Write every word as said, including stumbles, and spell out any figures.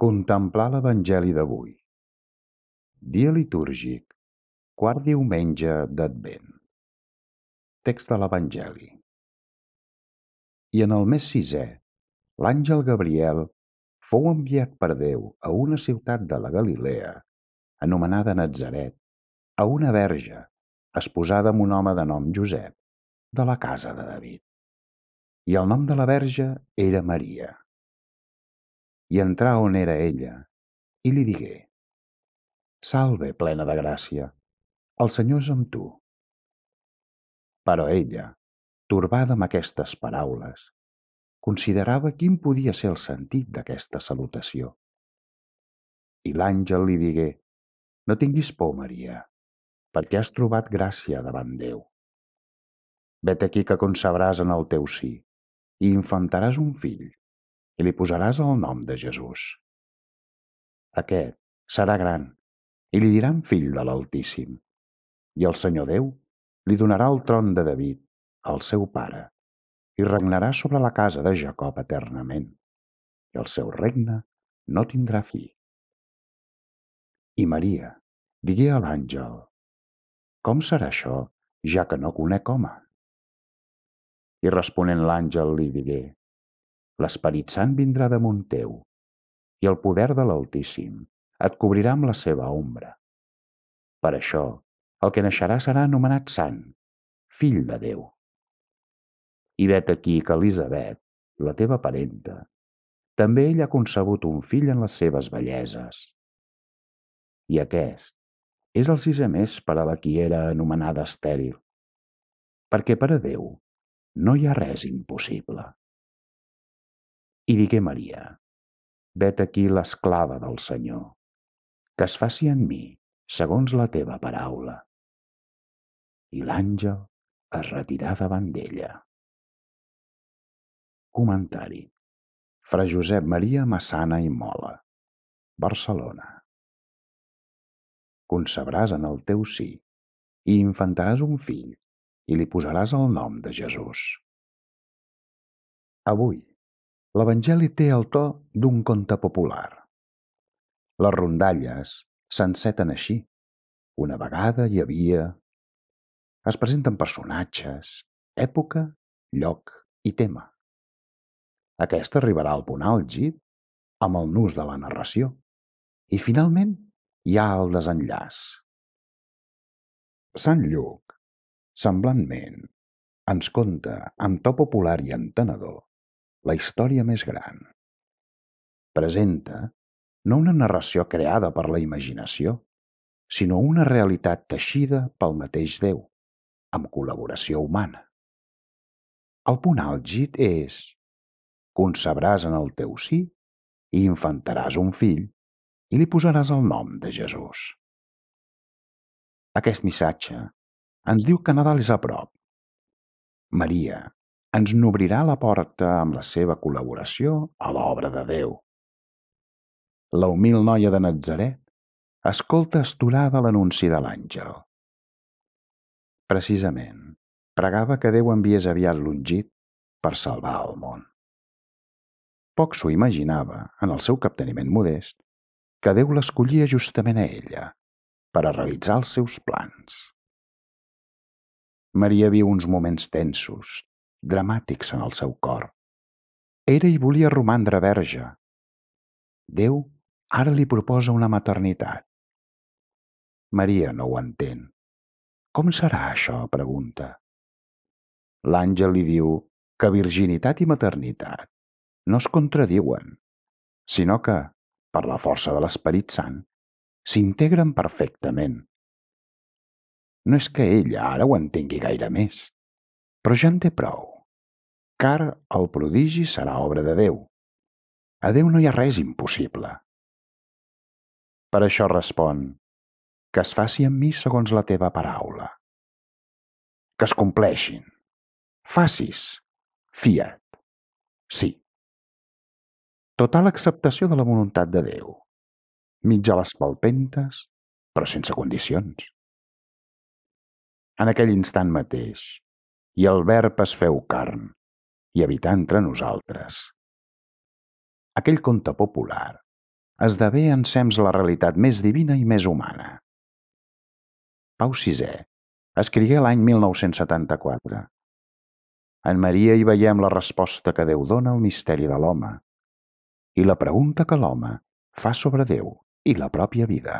Contemplar l'Evangeli d'avui. Dia litúrgic, quart diumenge d'Advent. Text de l'Evangeli. I en el mes sisè, l'àngel Gabriel fou enviat per Déu a una ciutat de la Galilea, anomenada Natzaret, a una verge, esposada amb un home de nom Josep, de la casa de David. I el nom de la verge era Maria. I entrà on era ella, i li digué: Salve, plena de gràcia, el Senyor és amb tu. Però ella, torbada amb aquestes paraules, considerava quin podia ser el sentit d'aquesta salutació. I l'àngel li digué: No tinguis por, Maria, perquè has trobat gràcia davant Déu. Vet aquí que concebràs en el teu si, i infantaràs un fill, i li posaràs el nom de Jesús. Aquest serà gran, i li diran fill de l'Altíssim, i el Senyor Déu li donarà el tron de David, el seu pare, i regnarà sobre la casa de Jacob eternament, i el seu regne no tindrà fi. I Maria digué a l'àngel: Com serà això, ja que no conec home? I responent l'àngel li digué: L'Esperit Sant vindrà damunt teu, i el poder de l'Altíssim et cobrirà amb la seva ombra. Per això, el que naixerà serà anomenat Sant, fill de Déu. I vet aquí que Elisabet, la teva parenta, també ella ha concebut un fill en les seves velleses. I aquest és el sisè mes per a la qui era anomenada estèril, perquè per a Déu no hi ha res impossible. I digué Maria: Vet aquí l'esclava del Senyor, que es faci en mi segons la teva paraula. I l'àngel es retirà davant d'ella. Comentari: Fra Josep Maria Massana i Mola, Barcelona. Concebràs en el teu si, i infantaràs un fill, i li posaràs el nom de Jesús. Avui, l'Evangeli té el to d'un conte popular. Les rondalles s'enceten així. Una vegada hi havia... Es presenten personatges, època, lloc i tema. Aquesta arribarà al punt àlgid amb el nus de la narració i finalment hi ha el desenllaç. Sant Lluc, semblantment, ens conta, amb to popular i entenedor, la història més gran. Presenta no una narració creada per la imaginació, sinó una realitat teixida pel mateix Déu, amb col·laboració humana. El punt àlgid és: concebràs en el teu si i infantaràs un fill i li posaràs el nom de Jesús. Aquest missatge ens diu que Nadal és a prop. Maria ens n'obrirà la porta amb la seva col·laboració a l'obra de Déu. La humil noia de Natzaret escolta astorada l'anunci de l'àngel. Precisament, pregava que Déu enviés aviat l'ungit per salvar el món. Poc s'ho imaginava, en el seu capteniment modest, que Déu l'escollia justament a ella per a realitzar els seus plans. Maria viu uns moments tensos, dramàtics en el seu cor. Era i volia romandre verge. Déu ara li proposa una maternitat. Maria no ho entén. Com serà això? Pregunta. L'àngel li diu que virginitat i maternitat no es contradiuen, sinó que, per la força de l'Esperit Sant, s'integren perfectament. No és que ella ara ho entengui gaire més, però ja en té prou, car el prodigi serà obra de Déu. A Déu no hi ha res impossible. Per això respon: que es faci amb mi segons la teva paraula. Que es compleixin. Facis. Fiat. Sí. Total acceptació de la voluntat de Déu. Mig a les palpentes, però sense condicions. En aquell instant mateix, i el Verb es feu carn, i habità entre nosaltres. Aquell conte popular esdevé ensems la realitat més divina i més humana. Pau sisè escrigué l'any mil nou-cents setanta-quatre. En Maria hi veiem la resposta que Déu dona al misteri de l'home i la pregunta que l'home fa sobre Déu i la pròpia vida.